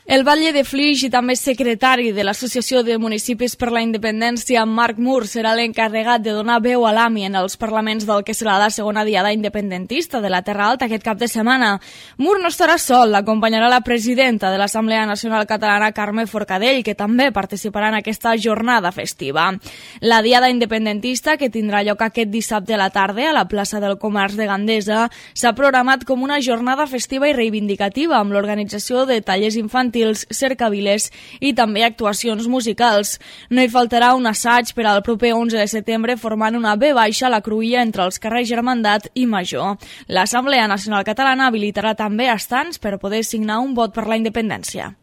El batlle de Flix i també secretari de l'Associació de Municipis per la Independència, Marc Mur, serà l'encarregat de donar veu a l'AMI en els parlaments del que serà la segona diada independentista de la Terra Alta aquest cap de setmana. Mur no estarà sol, l'acompanyarà la presidenta de l'Assemblea Nacional Catalana, Carme Forcadell, que també participarà en aquesta jornada festiva. La diada independentista, que tindrà lloc aquest dissabte a la tarda a la plaça del Comerç de Gandesa, s'ha programat com una jornada festiva i reivindicativa amb l'organització de tallers infantils, cercaviles i també actuacions musicals. No hi faltarà un assaig per al proper 11 de setembre formant una V baixa a la cruïlla entre els carrers Germandat i Major. L'Assemblea Nacional Catalana habilitarà també estants per poder signar un vot per la independència.